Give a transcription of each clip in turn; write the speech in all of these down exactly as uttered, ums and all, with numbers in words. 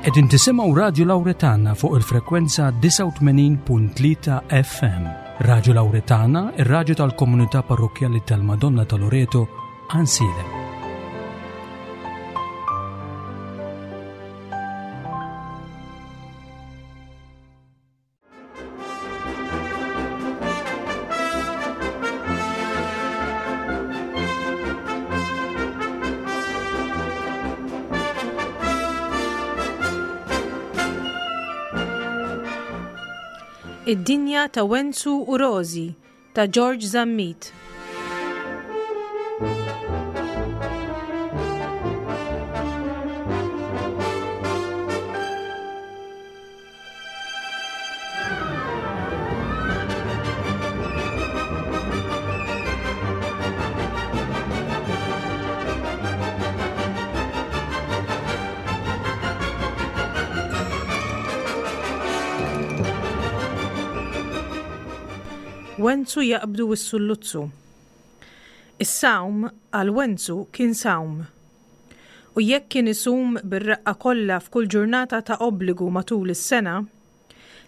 Qegħdin tisimgħu Radju Lawretana fuq il-frekwenza disgħa u tmenin punt tlieta F M. Radju Lawretana, ir-radju tal-komunità parrokkjali tal-Madonna ta' Loreto, Għajnsielem. Id-dinja ta' Wenzu u Rożi ta' George Zammit. Wenzu jaqbdu s-sulluzzu. Is-sawm għal Wenzu kien sawm. U jekk kien isum bir-reqqa kollha f'kull ġurnata ta' obbligu matul is-sena,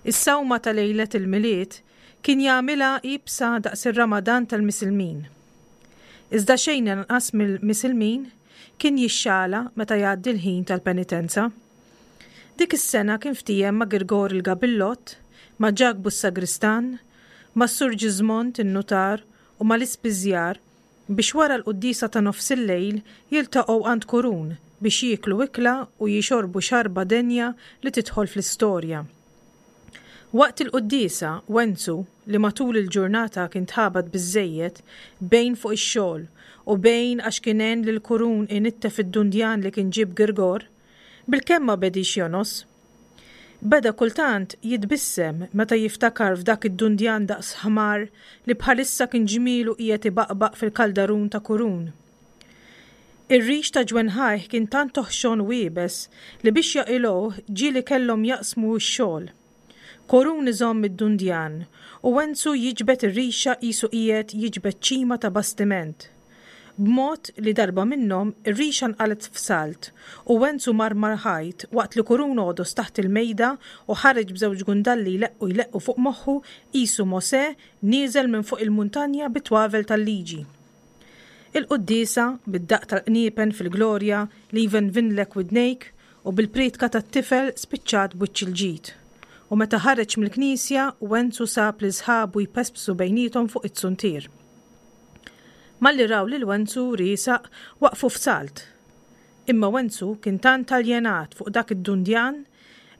is-sawma ta' lejlet il-Milied kien jagħmilha iebsa daqs ir-Ramadan tal-Misilmin. Iżda xejn inqas mill-Misilmin kien jixxala meta jgħaddi l-ħin tal-penitenza. Dik is-sena kien ftiehem ma' Girgor il-Gabillott, ma' Ġakbu s-Sagristan, ma' Sur Ġiżmond in-Nutar u ma' l-Ispiżjar biex wara l-quddiesa ta' nofs il-lejl jiltaqgħu għand Kurun biex jieklu ikla u jixorbu xarba denja li tidħol fl-istorja. Waqt il-quddiesa, Wenzu, li matul il-ġurnata kien tħabat biżżejjed bejn fuq ix-xogħol u bejn għax kien għen lil Kurun inittef id-dundjan li kien ġieb Girgor, bilkemm ma bedix jonos. Beda kultant jitbissem meta jiftakar f'dak id-dundjan daqs ħmar li bħalissa kien ġmielu qiegħed ibaqbaq fil-kaldarun ta' Kurun. Ir-rix ta' ġwenħajh kien tant toħxon u iebes li biex jaqilgħuh ġieli kellhom jaqsmu x-xogħol. Kurun iżomm id-dundjan u Wenzu jiġbed ir-rixa qisu qiegħed jiġbed ċima ta' bastiment. B'mod li darba minnhom ir-rixa nqalet f'salt u Wenzu mar mal-ħajt waqt li Kurun għodos taħt il-mejda u ħareġ b'żewġ gundalli jleqqu jleqqu fuq moħħu qisu Mosè nieżel minn fuq il-muntanja bit-twavel tal-liġi. Il-quddiesa bid-daqq tal-qniepen fil-glorja li jvenvinlek widnejk u bil-prietka tat-tifel spiċċat b'wiċċ il-ġid. U meta ħareġ mill-knisja, Wenzu sab li sħabu jpespsu bejniethom fuq it-suntier. Malli raw lil Wenzu riesaq waqfu f'salt. Imma Wenzu kien tant aljenat fuq dak id-dundjan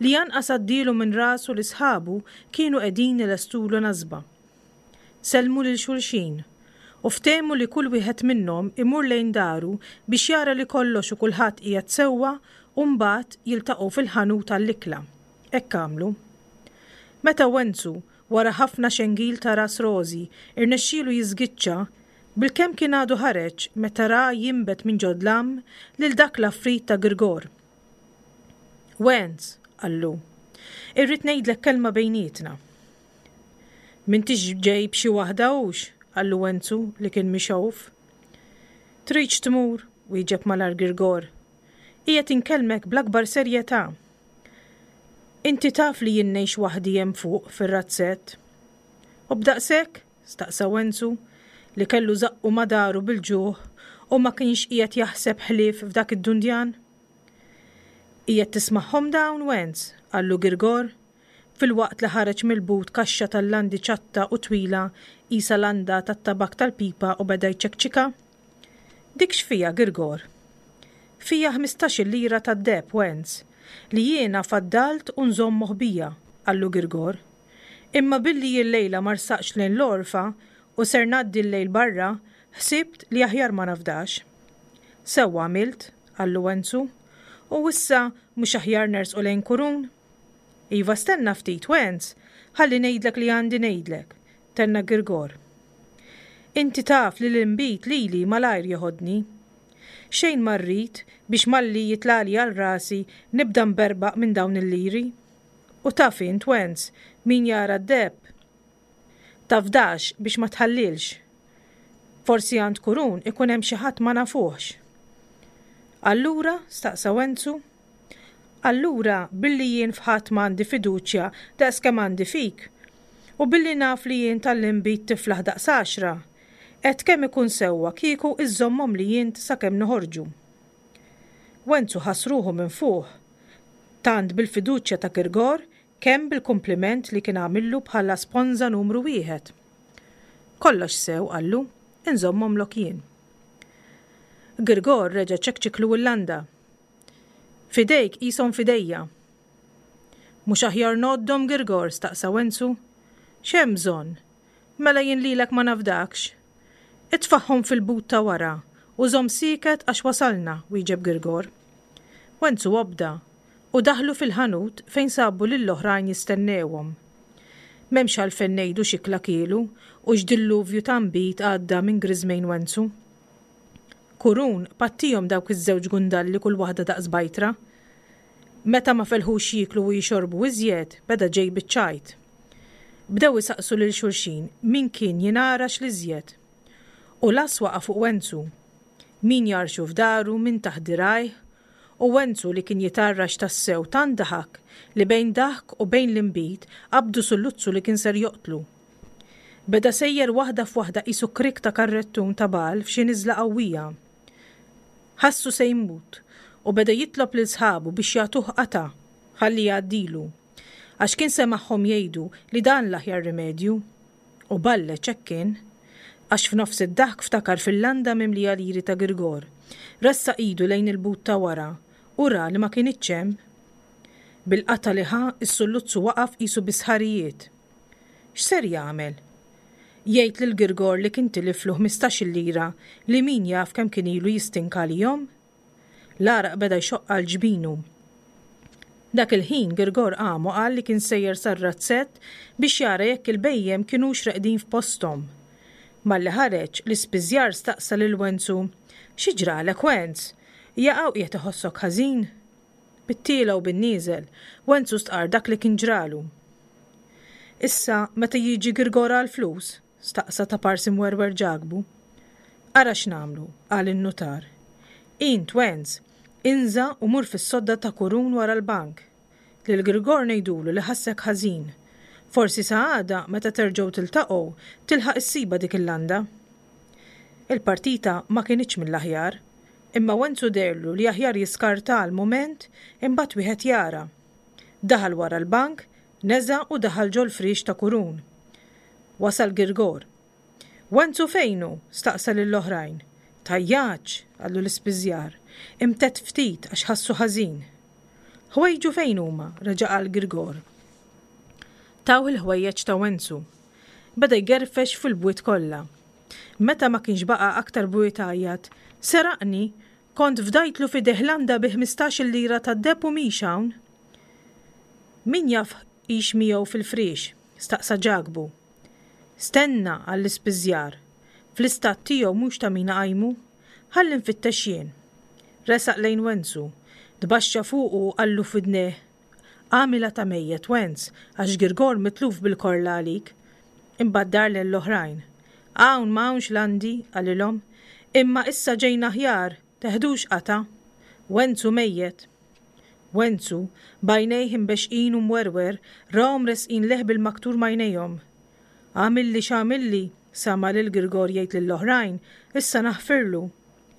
li anqas għaddielu minn rasu li sħabu kienu qegħdin ilestulu nasba. Sellmu lil xulxin u ftehmu li kull wieħed minnhom imur lejn daru biex jara li kollox u kulħadd qiegħed sewwa u mbagħad jiltaqgħu fil-ħanut għall-ikla. Hekk għamlu. Meta Wenzu, wara ħafna xengil ta' ras Rożi, irnexxielu jiżgiċċa, bilkemm kien għadu ħareġ meta ra jinbet minn ġodlam lil dak l-affrit ta' Girgor. Wenz, qallu, irrid ngħidlek kelma bejnietna. M'intix ġej b'xi waħda hux, qallu Wenzu li kien mixgħuf. Tridx tmur, wieġeb malar Girgor. Qiegħed inkellmek bl-akbar serjetà. Inti taf li jien ngħix waħdi hemm fuq fir-razzett. U b'daqshekk? Staqsa Wenzu li kellu żaqqu madaru bil-ġuħ u ma kienx qiegħed jaħseb ħlief f'dak id-dundjan. Qiegħed tismagħhom dawn, Wenz, qallu Girgor, filwaqt li ħareġ mill-but kaxxa tal-landi ċatta u twila qisha landa tat-tabak tal-pipa u beda jċekċika. Dik x'fija, Girgor? Fija ħmistax-il lira tad-deheb, Wenz, li jiena faddalt u nżomm moħbija, qallu Girgor. Imma billi l-lejla ma rsaqx lejn l-orfa u ser ngħaddi l-lejl barra, ħsibt li aħjar ma nafdax. Sewwa għamilt, qallu Wenzu, u issa mhux aħjar nersqu lejn Kurun? Iva stenna ftit, Wenz, ħalli ngħidlek li għandi ngħidlek, tenna Girgor. Inti taf li l-inbid lili malajr jeħodni. Xejn ma rrid biex malli jitlali għal rasi nibda nberbaq minn dawn il-liri. U taf int, Wenz, min jara d-deheb? Tafdax biex ma tħallilx. Forsi għand Kurun ikun hemm xi ħadd ma nafuhx. Allura, staqsa Wenzu, Allura, billi jien f'ħadd m'għandi fiduċja daqs kemm għandi fik, u billi naf li jien tal-inbid tiflaħ daqs għaxra, għedt kemm ikun sewwa kieku iżżommhomli int sakemm noħorġu. Wenzu ħass ruħu minfuħ, tant bil-fiduċja ta' Girgor kemm bil-kumpliment li kien għamillu bħala sponża numru wieħed. Kollox sew, qallu, inżommhomlok jien. Girgor reġa' ċekċiklu l-landa. F'idejk qishom f'idejja. Mhux aħjar ngħoddhom, Girgor? staqsa Wenzu. X'hemm bżonn? Mela jien lilek ma nafdakx. Itfagħhom fil-but ta' wara u żomm sieket għax wasalna, wieġeb Girgor. Wenzu obda u daħlu fil-ħanut fejn sabu lill-oħrajn jistennewhom. M'hemmx għalfejn ngħidu x'ikla kielu u x'dilluvju ta' nbid għadda minn griżmejn Wenzu. Kurun pattihom dawk iż-żewġ gundalli kull waħda daqs bajtra. Meta ma felħux jieklu u jixorbu iżjed, beda ġej biċ-ċajt. Bdew isaqsu lil xulxin min kien jingħarax l-iżjed. U las waqa' fuq Wenzu. Min jarxu f'daru, min taħt dirgħajh, u Wenzu li kien jitarrax tassew tant daħak li bejn daħk u bejn l-inbid qabdu sulluzzu li kien ser joqtlu. Beda sejjer waħda f'waħda qisu krik ta' karrettun ta' bagħal f'xi niżla qawwija. Ħassu se jmut u beda jitlob lil sħabu biex jagħtuh qatgħa ħalli jgħaddilu, għax kien semagħhom jgħidu li dan l-aħjar rimedju. U balleċ hekk kien, għax f'nofs id-daħk ftakar fil-landa mimlija liri ta' Girgor, ressaq idu lejn il-but ta' wara u ra li ma kinitx hemm. Bil-qatgħa li ħa, is-sulluzzu waqaf qisu bi sħarijiet. X'ser jagħmel? Jgħid lil Girgor li kien tiliflu ħmistax-il lira li min jaf kemm kien ilu jistinka għalihom? L-għaraq beda jxoqq għal ġbinu. Dak il-ħin Girgor qam u qal li kien sejjer sar-razzett biex jara jekk il-bhejjem kinux reqdin f'posthom. Malli ħareġ, l-ispiżjar staqsa lil Wenzu, Xi ġralek, Wenz? Jaqaw qiegħed iħossok ħażin? Bit-tiela u bin-nieżel, Wenzu stqar dak li kien ġralu. Issa, meta jiġi Girgor għall-flus? Staqsa ta' parsi mwerwer Ġakbu. Ara x'nagħmlu, qal in-nutar. Int, Wenz, inża' u mur fis-sodda ta' Kurun wara l-bank. Lil Girgor ngħidulu li ħassek ħażin. Forsi sa għada, meta terġgħu tiltaqgħu, tilħaq issiba dik il-landa. Il-partita ma kinitx mill-aħjar, imma Wenzu deherlu li aħjar jiskarta għal mument imbagħad wieħed jara. Daħal wara l-bank, neża' u daħal ġol-friex ta' Kurun. Wasal Girgor. Wenzu fejnu? Staqsa lill-oħrajn. Tajjaċ, qallu l-ispiżjar. Imtedd ftit għax ħassu ħażin. Ħwejġu fejn huma? Reġa' qal Girgor. Tawh il-ħwejjeġ ta' Wenzu. Beda jgerfex fil-bwiet kollha. Meta ma kienx baqa' aktar bwiet għajjat, Seraqni, kont fdajtlu f'idejh landa bi ħmistax-il lira tad-deheb u mhix hawn. Min jaf hix miegħu fil-friex? Staqsa Ġakbu. Stenna, qal l-ispiżjar. Fl-istat tiegħu mhux ta' min iqajmu. Ħalli nfittex jien. Resaq lejn Wenzu. Tbaxxa fuqu u qallu f'widnejh, Għamilha ta' mejjet, Wenz, għax Girgor mitluf bil-korla għalik. Imbagħad dar lejn l-oħrajn. Hawn ma hawnx landi, qalilhom. Imma issa ġejna aħjar, teħdux qatgħa. Wenzu mejjet. Wenzu, b'għajnejh imbexxqin u mwerwer, rahom resqin lejh bil-maktur m'għajnejhom. Għamilli x'għamilli, sama' lil Girgor jgħid lill-oħrajn, issa naħfirlu.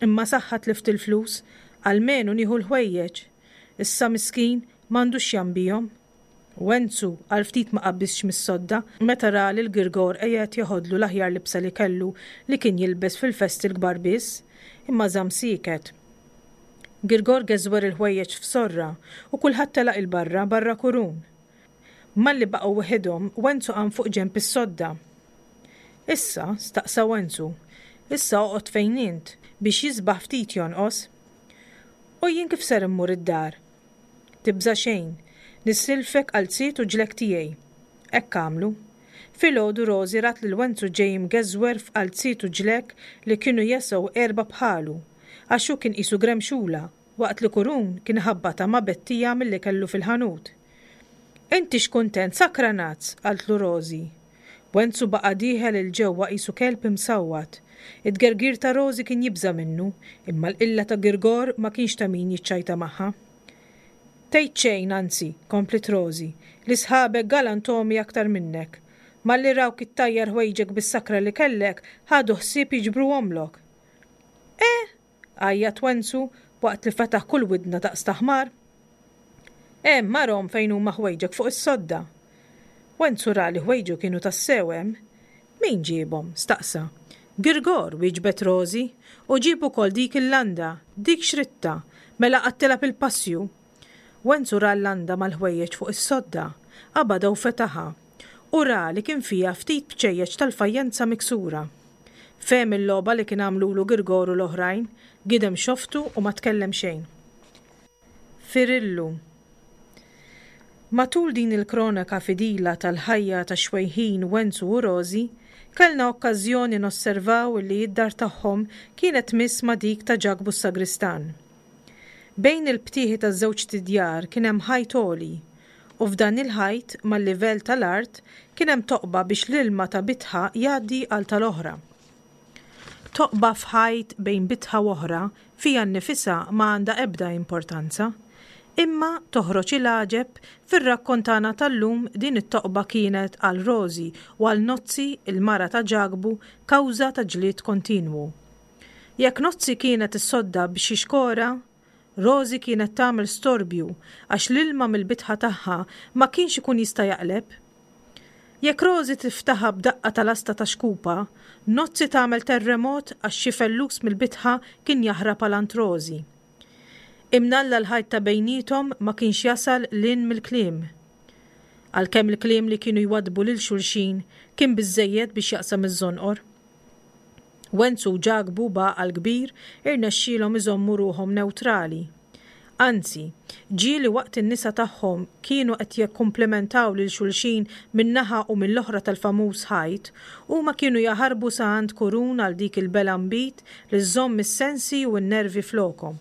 Imma saħħa tlift il-flus, almenu nieħu l-ħwejjeġ. Issa miskin m'għandux x'jambihom. Wenzu għal ftit ma qabbiżx mis-sodda meta ra lil Girgor qiegħed jeħodlu l-aħjar libsa li kellu li kien jilbes fil-festi l-kbar biss, imma żamm sieket. Girgor geżwer il-ħwejjeġ f'sorra u kulħadd telaq 'il barra barra Kurun. Malli baqgħu weħidhom, Wenzu qam fuq ġenb is-sodda. Issa, staqsa Wenzu, issa oqgħod fejn int biex jisbaħ ftit jonqos. U jien kif ser immur id-dar? Tibża' xejn, nissilfek qalziet u ġlekk tiegħi. Hekk għamlu. Filgħodu Rożi rat lil Wenzu ġej imgeżwer f'qalziet u ġlekk li kienu jesgħu erba' bħalu, għax hu kien qisu gremxula, waqt li Kurun kien ħabbatha ma' bettija milli kellu fil-ħanut. Inti x'kuntent, sakranazz, qaltlu Rożi. Wenzu baqa' dieħel 'il ġewwa qisu kelb imsawwat. It-tgergir ta' Rożi kien jibża' minnu, imma l-qilla ta' Girgor ma kienx ta' min jiċċajta magħha. Tgħid xejn, anzi, kompliet Rożi, li sħabek galantomi aktar minnek. Malli rawk ittajjar ħwejġek bis-sakra li kellek, ħadu ħsieb jiġbruhomlok. Eh! għajjat Wenzu waqt li fetaħ kull widna daqs ta' ħmar. Hemm arhom fejn huma ħwejġek fuq is-sodda. Wenzu ra li ħwejġu kienu tassew hemm. Min ġiebhom? staqsa. Girgor, wieġbet Rożi, u ġieb ukoll dik il-landa, dik xritta, mela qgħadt tilgħab il-passju. Wenzu ra l-landa mal-ħwejjeġ fuq is-sodda, qabadha u fetaħha, u ra li kien fiha ftit bċejjeċ tal-fajjenza miksura. Fehem il-logħba li kien għamlulu Girgor u l-oħrajn, gidem xoftu u ma tkellem xejn. Firillu. Matul din il-kronaka fidila tal-ħajja tax-xwejħin Wenzu u Rożi, kellna okkażjoni nosservaw illi d-dar tagħhom kienet tmiss ma' dik ta' Ġakbu s-sagristan. Bejn il-btieħi taż-żewġt idjar kien hemm ħajt għoli, u f'dan il-ħajt, mal-livell tal-art, kien hemm toqba biex l-ilma ta' bitħa jgħaddi għal tal-oħra. Toqba f'ħajt bejn bitħa u oħra fiha nnifisha ma għandha ebda importanza. Imma, toħroġ il-għaġeb, fir-rakkont tagħna tal-lum din it-toqba kienet għal Rożi u għal Nozzi, il-mara ta' Ġakbu, kawża ta' ġlied kontinwu. Jekk Nozzi kienet issodda b'xi xkora, Rożi kienet tagħmel storbju għax l-ilma mill-bitħa tagħha ma kienx ikun jista' jaqleb. Jekk Rożi tiftaħha b'daqqa ta' lasta ta' xkupa, Nozzi tagħmel terremot għax xi fellus mill-bitħa kien jaħrab għal għand Rożi. Imnalla l-ħajt ta' bejniethom ma kienx jasal 'l hinn mill-kliem. Għalkemm il-kliem li kienu jwaddbu lil xulxin kien biżżejjed biex jaqsam iż-żonqor. Wenzu u Ġakbu b'għaqal kbir irnexxielhom iżommu ruħhom newtrali. Anzi, ġieli waqt in-nisa tagħhom kienu qed jikkumplimentaw lil xulxin minn naħa u mill-oħra tal-famuż ħajt, huma kienu jaħarbu sa għand Kurun għal dik il-belgħa nbid li żżomm is-sensi u n-nervi flokhom.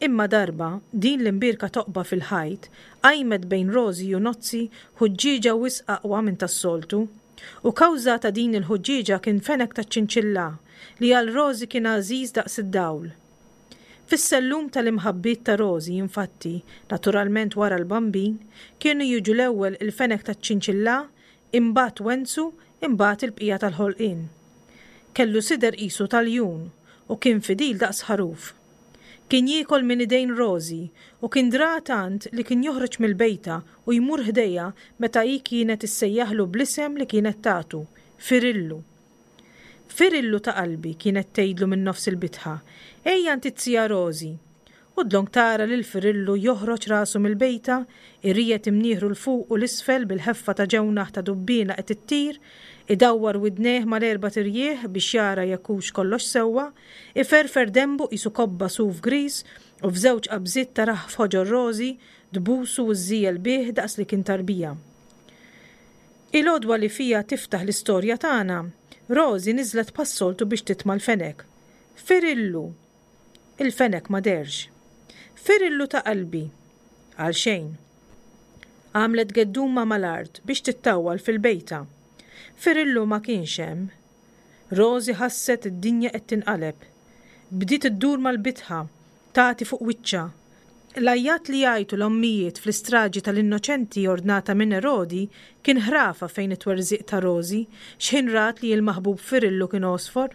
Imma darba, din l-imbierka toqba fil-ħajt qajmet bejn Rożi u Nozzi ħuġġieġa wisq aqwa minn tas-soltu. U kawża ta' din il-ħuġġieġa kien fenek taċ-ċinċilla li għal Rożi kien għażiż daqs id-dawl. Fis-sellum tal-imħabbiet ta' Rożi, infatti, naturalment wara l-Bambin, kienu jiġu l-ewwel il-fenek taċ-ċinċilla, imbagħad Wenzu, imbagħad il-bqija tal-ħolqien. Kellu sider qisu ta' ljun u kien fidil daqs ħaruf. Kien jiekol minn idejn Rożi u kien dra tant li kien joħroġ mill-bejta u jmur ħdejha meta hi kienet issejjaħlu bl-isem li kienet tagħtu, Firillu. Firillu ta' qalbi, kienet tgħidlu minn nofs il-bitħa, ejja għand it-zija Rożi. U dlonk tara lil Firillu joħroġ rasu mill-bejta, iriegħed imnieħru 'l fuq u 'l isfel bil-ħeffa ta' ġewnaħ ta' dubbiena qed ittir, idawwar widnejh mal-erbat irjieħ biex jara jekk hux kollox sewwa, iferfer denbu qisu kobba suf griż u f'żewġ qabżiet tarah f'ħoġor Rożi, tbusu u żżiegħel bih daqs li kien tarbija. Il-għodwa li fiha tiftaħ l-istorja tagħna, Rożi niżlet bħas-soltu biex titma' l-fenek. Firillu! Il-fenek ma dehrx. Firillu ta' qalbi! Għalxejn. Għamlet gedduma mal-art biex tittawwal fil-bejta. Firillu ma kienx hemm. Rożi ħasset id-dinja qed tinqaleb. Bdiet iddur mal-bitħa, tagħti fuq wiċċha. L-għajjat li jgħajtu l-ommijiet fl-istraġi tal-innoċenti ordnata minn Erodi kien ħrafa fejn it-twerżiq ta' Rożi x'ħin rat li l-maħbub Firillu kien għosfor.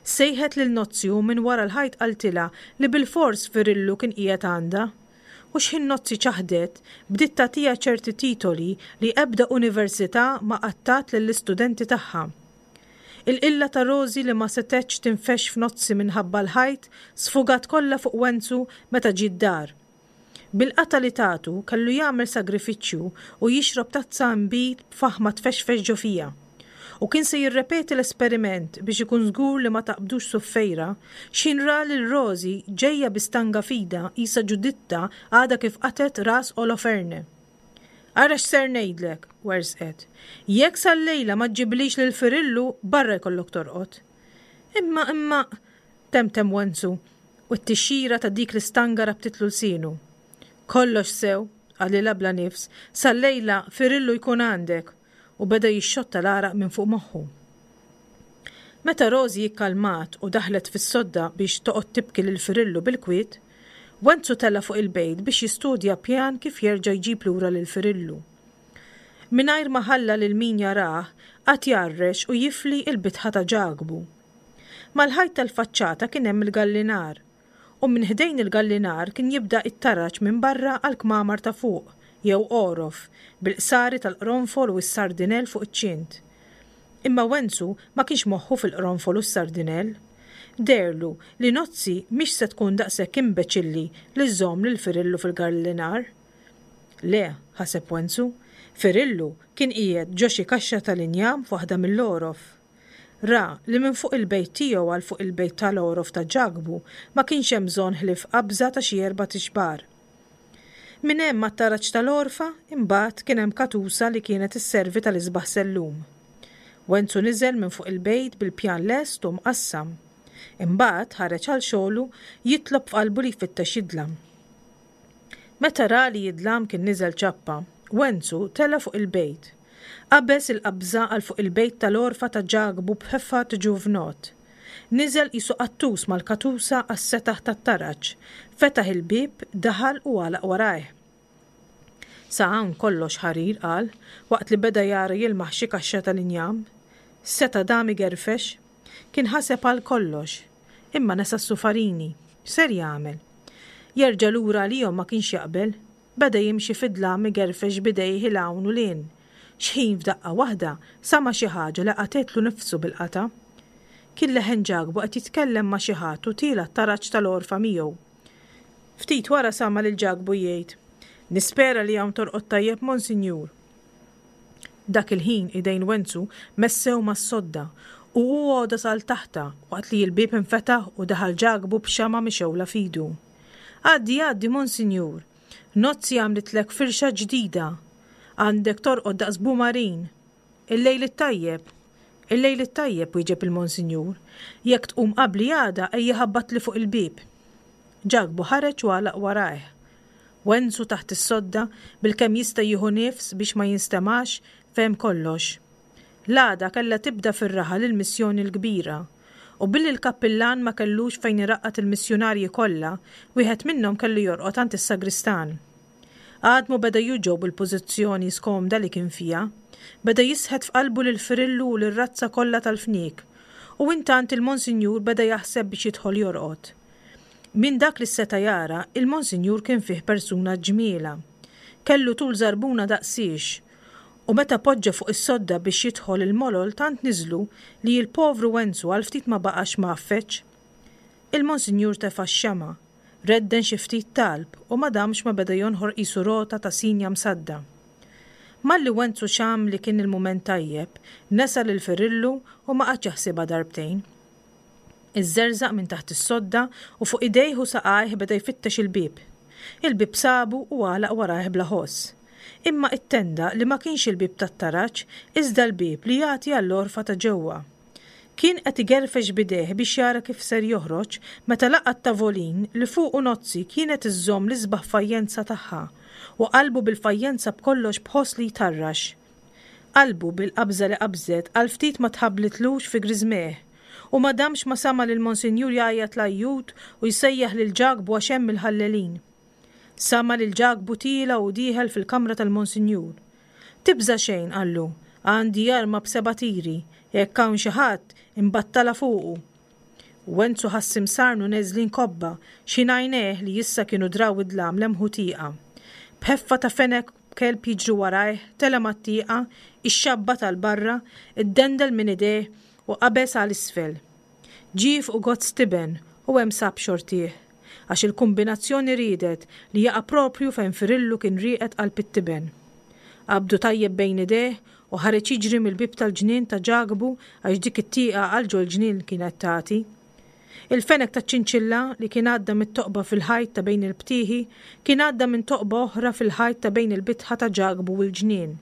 Sejħet lil Nozzi u minn wara l-ħajt qaltilha li bilfors Firillu kien qiegħed għandha. U x'ħin Nozzi ċaħdet, bdiet tagħtiha ċerti titoli li ebda università ma qatt tat lill-istudenti tagħha. Il-qilla ta' Rożi li ma setgħetx tinfexx f'Nozzi minħabba l-ħajt sfugat kollha fuq Wenzu meta ġie d-dar. Bil-qatgħa li tatu kellu jagħmel sagrifiċċju u jixrob tazza nbid b'faħma tfexfex ġo fiha. U kien se jirrepeti l-esperiment biex ikun żgur li ma taqbdux suffejra, x'ħin ra lil Rożi ġejja bi stanga f'idha qisha Ġuditta għadha kif qatgħet ras Oloferne. Ara x'ser ngħidlek, werżqet. Jekk sal-lejla ma ġġiblix lil Firillu, barra jkollok torqod. Imma, imma, temtem Wenzu, u t-tixxira ta' dik l-istanga rabtitlu lsienu. Kollox sew, qalilha bla nifs, sal-lejla Firillu jkun għandek. U beda jixxotta l-għaraq minn fuq moħħu. Meta Rożi ikkalmat u daħlet fis-sodda biex toqgħod tibki lil Firillu bil-kwiet, Wenzu tela' fuq il-bejt biex jistudja pjan kif jerġa' jġib lura lil Firillu. Mingħajr ma ħalla lil min jarah, qagħad jgħarrex u jifli l-bitħa ta' Ġakbu. Mal-ħajt tal-faċċata kien hemm il-gallinar, u minn ħdejn il-gallinar kien jibda t-taraġ minn barra għall-kmamar ta' fuq, jew għorof, bil-qsari tal-qronfol u s-sardinell fuq iċ-ċint. Imma Wenzu ma kienx moħħu fil-qronfol u s-sardinell. Deherlu li Nozzi mhix se tkun daqshekk imbeċilli li żżomm lil Firillu fil-gallinar. Le, ħaseb Wenzu, Firillu kien qiegħed ġo xi kaxxa tal-injam f'waħda mill-għorof. Ra li minn fuq il-bejt tiegħu għal fuq il-bejt tal-għorof ta' Ġakbu ma kienx hemm bżonn ħlief qabża ta' xi erbat ixbar. Minn hemm għat-taraġ tal-għorfa, imbagħad, kien hemm katusa li kienet isservi tal-isbaħ sellum. Wenzu niżel minn fuq il-bejt bil-pjan lest u mqassam. Imbagħad ħareġ għal xogħlu jitlob f'qalbu li jfittex jidlam. Meta ra li jidlam kien niżel ċappa, Wenzu tela' fuq il-bejt. Qabeż il-qabża għal fuq il-bejt tal-għorfa ta' Ġakbu b'ħeffa ġuvnott. Niżel qisu qattus mal-katusa għas-setaħ tat-taraġ, fetaħ il-bieb, daħal u għalaq warajh. Sa hawn kollox ħarir, qal, waqt li beda jara jilmaħ xi kaxxa tal-injam. Seta' dam igerfex. Kien ħaseb għal kollox. Imma nesa s-sufarini. X'ser jagħmel? Jerġa' lura għalihom ma kienx jaqbel. Beda jimxi fid-dlam igerfex b'idejh 'il hawn u 'l hinn. X'ħin f'daqqa waħda sama' xi ħaġa li qatgħetlu nifsu bil-qatgħa. Kien leħen Ġakbu qed jitkellem ma' xi ħadd u tiela' t-taraġ tal-għorfa miegħu. Ftit wara sama' lil Ġakbu jgħid, Nispera li hawn torqod tajjeb Monsinjur. Dak il-ħin idejn Wenzu messew mas-sodda u hu għodos għal taħtha waqt li l-bieb infetaħ u daħal Ġakbu b'xama' mixgħula f'idu. Għaddi għaddi Monsinjur! Nozzi għamlitlek firxa ġdida. Għandek torqod daqs bumarin. Il-lejl it-tajjeb. Il-lejl it-tajjeb, wieġeb il-Monsinjur. Jekk tqum qabli għada ejja ħabbatli fuq il-bieb. Ġakbu ħareġ u għalaq warajh. Wenzu taħt is-sodda, bilkemm jista' jieħu nifs biex ma jinstemax, fehem kollox. L-għada kellha tibda fir-raħal il-missjoni l-kbira. U billi l-kappillan ma kellux fejn iraqqad il-missjunarji kollha, wieħed minnhom kellu jorqod għand is-sagristan. Għadmu beda juġgħu bil-pożizzjoni skomda li kien fiha. Beda jisħet f'qalbu lil Firillu u lir-razza kollha tal-fniek. U intant il-Monsinjur beda jaħseb biex jidħol jorqod. Minn dak li seta' jara, il-Monsinjur kien fih persuna ġmielha. Kellu tul żarbuna daqsiex. U meta poġġa fuq is-sodda biex jidħol il-molol tant niżlu li l-povru Wenzu għal ftit ma baqax mgħaffeġ. Il-Monsinjur tefa' x-xemgħa, redden xi ftit talb u ma damx ma beda jonħor qisu rota ta' sinja msadda. Malli Wenzu xamm li kien il-mument tajjeb, nesa lil Firillu u ma qagħadx jaħsibha darbtejn. Iżżerżaq minn taħt is-sodda u fuq idejh u saqajh beda jfittex il-bieb. Il-bieb sabu u għalaq warajh bla ħoss. Imma ittenda li ma kienx il-bieb tat-taraġ iżda l-bieb li jagħti għall-għorfa ta' ġewwa. Kien qed igerfex b'idejh biex jara kif ser joħroġ meta laqa' t-tavolin li fuqu Nozzi kienet iżżomm l-isbaħ fajjenza tagħha u qalbu bil-fajjenza b'kollox b'ħoss li jtarrax. Qalbu bil-qabża li qabżet għal ftit ma tħabblitlux fi griżmejh u ma damx ma sama' lill-Monsinjur jgħajjat l-għajjut u jsejjaħ lil Ġakbu għax hemm il-ħallelin. Sama' lil Ġakbu tiela' u dieħel fil-kamra tal-Monsinjur. Tibża' xejn, qallu, għandi arma b'seba' tiri, jekk hawn xi ħadd, imbattalha fuqu. Wenzu ħass imsarnu neżlin kobba, x'ħin għajnejh li issa kienu draw id-dlam lemħu tieqa. B'ħeffa ta' fenek b'kelb jiġri warajh, tela' mat-tieqa, ixxabbat għal barra, iddendel minn idejh u qabeż għal isfel. Ġie fuq gozz tiben u hemm sab xortih, għax il-kumbinazzjoni riedet li jaqa' proprju fejn Firillu kien rieqed qalb it-tiben. Qabdu tajjeb bejn idejh u ħareġ jiġri mill-bieb tal-ġnien ta' Ġakbu għax dik it-tieqa għal ġol-ġnien kienet tagħti. Il-fenek taċ-ċinċilla li kien għadda mit-toqba fil-ħajt ta' bejn il-btieħi kien għadda minn toqba oħra fil-ħajt ta' bejn il-bitħa ta' Ġakbu u l-ġnien.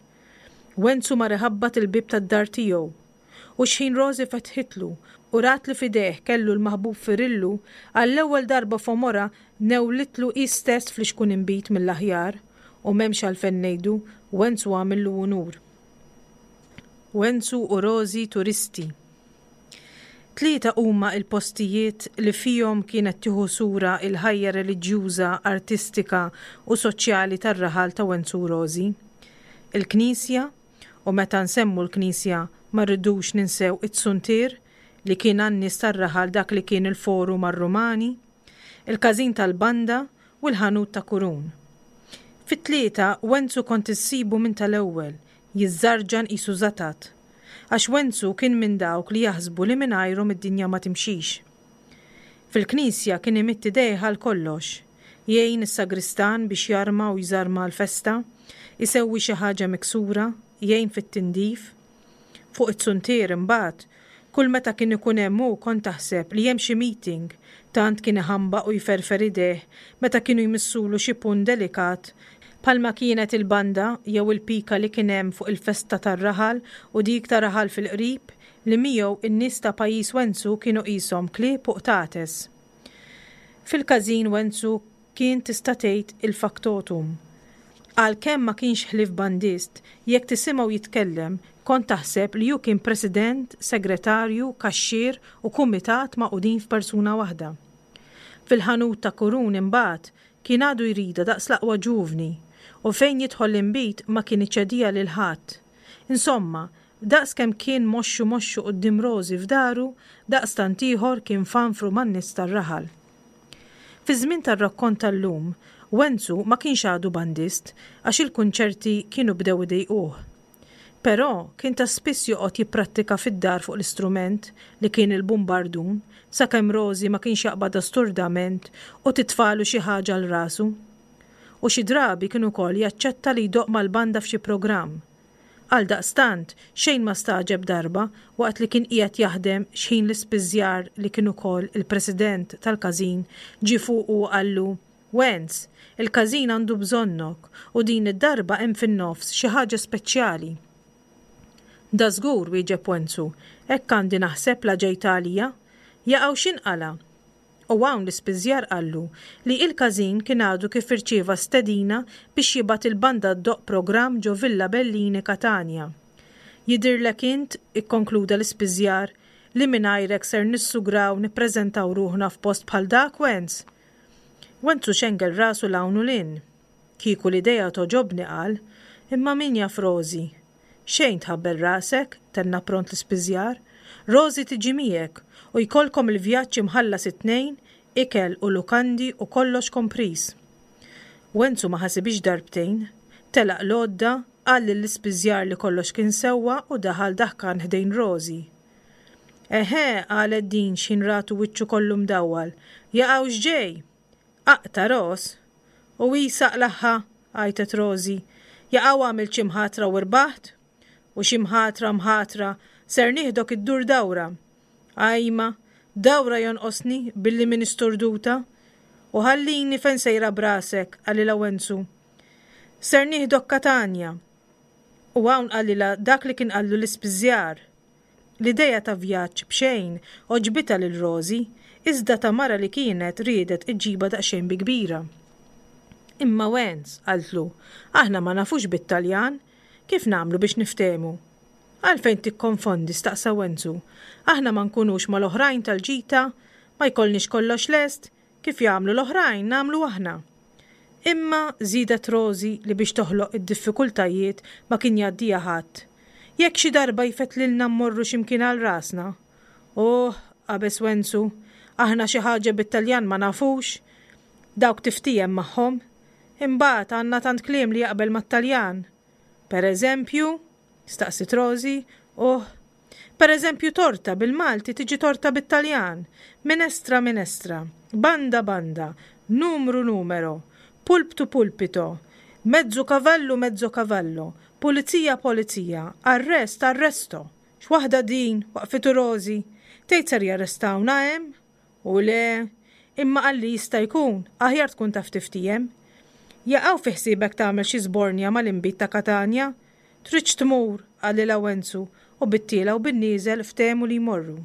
Wenzu mar iħabbat il-bieb tad-dar tiegħu. U xħin Rosie fetħitlu u rat li f'idejh kellu l-maħbub Firillu, għall-ewwel darba f'għomorha newlitlu hi stess flixkun inbid mill-aħjar, u m'hemmx għalfejn ngħidu, Wenzu għamillu unur. Wenzu u Rosie turisti. Tlieta huma l-postijiet li fihom kienet tieħu sura l-ħajja reliġjuża, artistika u soċjali tar-raħal ta' Wenzu u Rożi. Il-knisja, u meta nsemmu l-knisja ma rridux ninsew it-suntier li kien għan-nies tar-raħal dak li kien il-forum għar-Rumani, il-każin tal-banda u l-ħanut ta' Kurun. Fit-tlieta Wenzu kont issibu minn tal-ewwel, jiżżarġan qisu żatat. Għax Wenzu kien minn dawk li jaħsbu li mingħajrhom id-dinja ma timxix. Fil-knisja kien imidd idejh għal kollox, jgħin is-sagristan biex jarma u jżarma għall-festa, isewwi xi ħaġa miksura, jgħin fit-tindif. Fuq it-suntier imbagħad, kull meta kien ikun hemm hu kont taħseb li hemm xi meeting, tant kien iħambaq u jferfer idejh meta kienu jmissulu xi punt delikat bħalma kienet il-banda jew il-pika li kien hemm fuq il-festa tar-raħal u dik ta' raħal fil-qrib li miegħu n-nies ta' pajjiż Wenzu kienu qishom klieb u qtates. Fil-każin Wenzu kien tista' tgħid il-factotum. Għalkemm ma kienx ħlief bandist, jekk tisimgħu jitkellem kont taħseb li hu kien president, segretarju, kaxxier u kumitat magħqudin f'persuna waħda. Fil-ħanut ta' Kurun imbagħad kien għadu jridha daqs l-aqwa ġuvni u fejn jidħol l-inbid ma kien iċediha lil ħadd. Insomma, daqs kemm kien moxxu moxxu quddiem Rożi f'daru, daqstant ieħor kien fanfru man-nies tar-raħal. Fiż-żmien tar-rakkont tal-lum, Wenzu ma kienx għadu bandist għax il-kunċerti kienu bdew idejquh. Però kien ta' spiss joqgħod jipprattika fid-dar fuq l-istrument, li kien il-bumbardun, sakemm Rożi ma kienx jaqbadha sturdament u titfagħlu xi ħaġa għal rasu. U xi drabi kien ukoll jaċċetta li jdoqq mal-banda f'xi programm. Għaldaqstant, xejn ma stagħġeb darba waqt li kien qiegħed jaħdem x'ħin l-ispiżjar li kien ukoll il-president tal-każin ġie fuqu u qallu, Wenz, il-każin għandu bżonnok u din id-darba hemm fin-nofs xi ħaġa speċjali. Dażgur, wieġeb Wenzu, hekk għandi naħseb la ġejt għalija. Jaqaw x'inqala'? U hawn l-ispiżjar qallu li il-każin kien għadu kif irċieva stedina biex jibgħat il-banda ddoqq programm ġo Villa Bellini Katanja. Jidhirlek int, ikkonkluda l-ispiżjar, li mingħajrek ser nissugraw nippreżentaw ruħna f'post bħal dak, Wenz? Wenzu xengel rasu 'l hawn u 'l hinn. Kieku l-idea togħġobni, qal, imma min jaf Rożi? Xejn tħabbel rasek, tenna pront l-ispiżjar. Rożi tiġi miegħek u jkollkom il-vjaġġ imħallas it-tnejn, ikel u lukandi u kollox kompriż. Wenzu ma ħasibhiex darbtejn. Telaq l-għodda, qal lill-ispiżjar li kollox kien sewwa u daħal daħkan ħdejn Rożi. Eħe, qalet din x'ħin ratu wiċċu kollu mdawwal. Jaqaw x'ġej? Aqta' ros! U hi saqlaħħa, għajtet Rożi. Jaqaw għamilt xi mħatra u rbaħt? U xi mħatra mħatra, ser nieħdok iddur dawra. Ajma, dawra jonqosni billi min isturduta. U ħallini fejn sejra b'rasek, qalilha Wenzu. Ser nieħdok Katanja. U hawn qalilha dak li kien qallu l-ispiżjar. L-idea ta' vjaġġ b'xejn għoġbitha lil Rożi, iżda ta' mara li kienet riedet iġġibha daqsxejn bi kbira. Imma Wenz, qaltlu, aħna ma nafux bit-Taljan, kif nagħmlu biex niftehmu? Għalfejn tikkonfondi, staqsa Wenzu, aħna ma nkunux mal-oħrajn tal-ġita, ma jkollniex kollox lest, kif jagħmlu l-oħrajn nagħmlu aħna. Imma, żiedet Rożi li biex toħloq id-diffikultajiet ma kien jgħaddiha ħadd, jekk xi darba jfettlilna mmorru xi mkien għal rasna? Oh, qabeż Wenzu, aħna xi ħaġa bit-Taljan ma nafux. Dawk tiftiehem magħhom. Imbagħad għandna tant kliem li jaqbel mat-Taljan. Per eżempju? staqsiet Rożi. Oh, per eżempju torta bil-Malti tiġi torta bit-Taljan, minestra minestra, banda banda, numru numero, pulptu pulpito, mezzu cavallu mezzo cavallo, pulizija polizia, arrest arresto. X'waħda din, waqfitu Rożi. Tgħid ser jarrestawna hemm? U le, imma qalli jista' jkun, aħjar tkun taf tiftiehem. Jaqaw fi ħsiebek tagħmel xi żbornja mal-inbid ta' Katanja? Tridx tmur, qalilha Wenzu, u bit-tiela' u bin-nieżel ftehmu li jmorru.